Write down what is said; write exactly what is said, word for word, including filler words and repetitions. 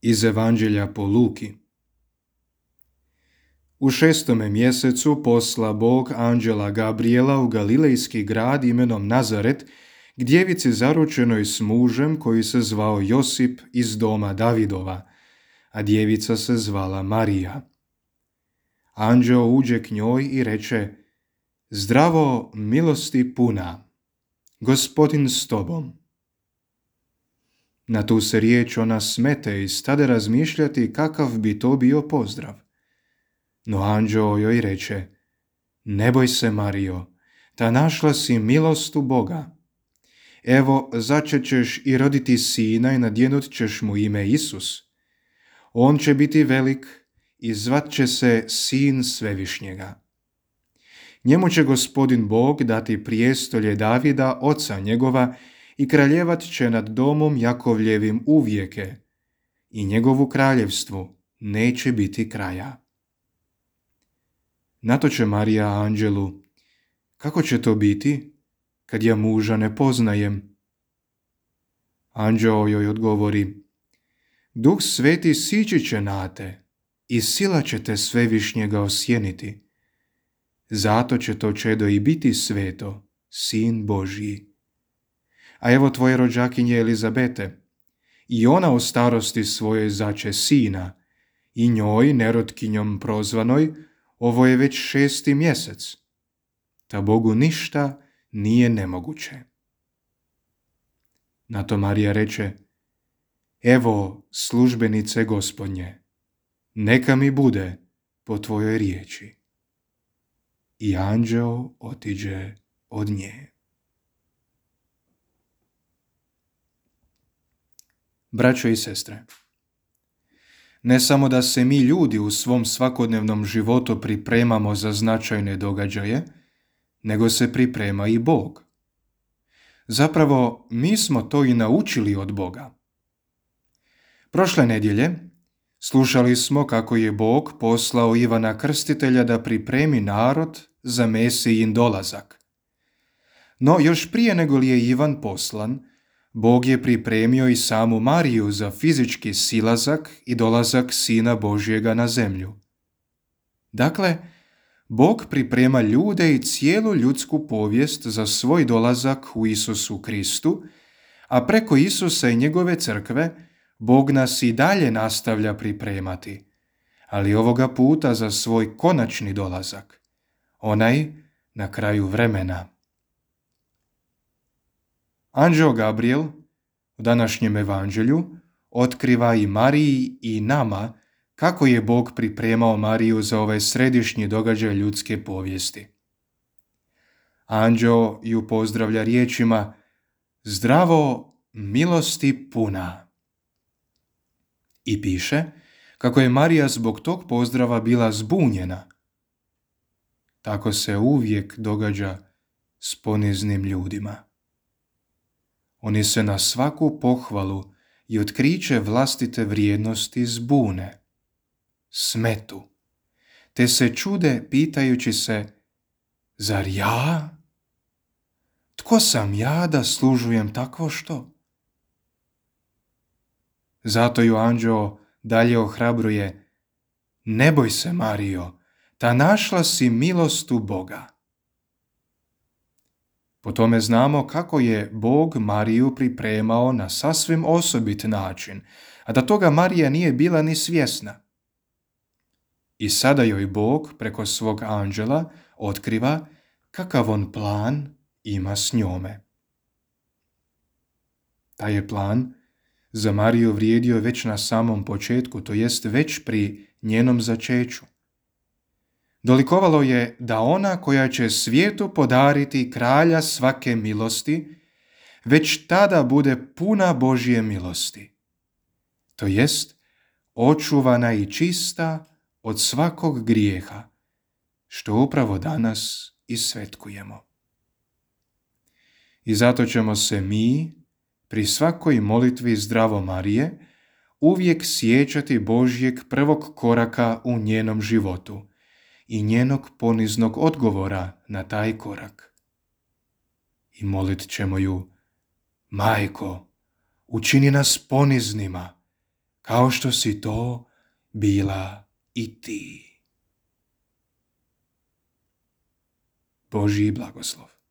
Iz Evanđelja po Luki. U šestome mjesecu posla Bog anđela Gabriela u galilejski grad imenom Nazaret, k djevici zaručenoj s mužem koji se zvao Josip iz doma Davidova, a djevica se zvala Marija. Anđeo uđe k njoj i reče: Zdravo, milosti puna, Gospodin s tobom. Na tu se riječ ona smete i stade razmišljati kakav bi to bio pozdrav. No anđeo joj reče: Ne boj se, Marijo, ta našla si milost u Boga. Evo, začet ćeš i roditi sina i nadjenut ćeš mu ime Isus. On će biti velik i zvat će se Sin Svevišnjega. Njemu će Gospodin Bog dati prijestolje Davida, oca njegova, i kraljevat će nad domom Jakovljevim uvijeke, i njegovu kraljevstvu neće biti kraja. Na to će Marija anđelu: Kako će to biti, kad ja muža ne poznajem? Anđeo joj odgovori: Duh Sveti sići će na te i sila će te Svevišnjega osjeniti. Zato će to čedo i biti sveto, Sin Božji. A evo tvoje rođakinje Elizabete, i ona u starosti svojoj zače sina, i njoj, nerotkinjom prozvanoj, ovo je već šesti mjesec. Ta Bogu ništa nije nemoguće. Na to Marija reče: Evo službenice Gospodnje, neka mi bude po tvojoj riječi. I anđeo otiđe od nje. Braćo i sestre, ne samo da se mi ljudi u svom svakodnevnom životu pripremamo za značajne događaje, nego se priprema i Bog. Zapravo, mi smo to i naučili od Boga. Prošle nedjelje slušali smo kako je Bog poslao Ivana Krstitelja da pripremi narod za Mesijin dolazak. No još prije nego li je Ivan poslan, Bog je pripremio i samu Mariju za fizički silazak i dolazak Sina Božjega na zemlju. Dakle, Bog priprema ljude i cijelu ljudsku povijest za svoj dolazak u Isusu Kristu, a preko Isusa i njegove crkve Bog nas i dalje nastavlja pripremati, ali ovoga puta za svoj konačni dolazak, onaj na kraju vremena. Anđeo Gabriel u današnjem evanđelju otkriva i Mariji i nama kako je Bog pripremao Mariju za ovaj središnji događaj ljudske povijesti. Anđeo ju pozdravlja riječima: Zdravo, milosti puna. I piše kako je Marija zbog tog pozdrava bila zbunjena. Tako se uvijek događa s poniznim ljudima. Oni se na svaku pohvalu i otkriće vlastite vrijednosti zbune, smetu, te se čude pitajući se: Zar ja? Tko sam ja da služujem takvo što? Zato ju anđeo dalje ohrabruje: Ne boj se, Marijo, ta našla si milost u Boga. Po tome znamo kako je Bog Mariju pripremao na sasvim osobit način, a da toga Marija nije bila ni svjesna. I sada joj Bog preko svog anđela otkriva kakav on plan ima s njome. Taj je plan za Mariju vrijedio već na samom početku, to jest već pri njenom začeću. Dolikovalo je da ona koja će svijetu podariti kralja svake milosti, već tada bude puna Božje milosti, to jest očuvana i čista od svakog grijeha, što upravo danas i svetkujemo. I zato ćemo se mi, pri svakoj molitvi Zdravo Marije, uvijek sjećati Božjeg prvog koraka u njenom životu i njenog poniznog odgovora na taj korak. I molit ćemo ju: Majko, učini nas poniznima, kao što si to bila i ti. Božji blagoslov.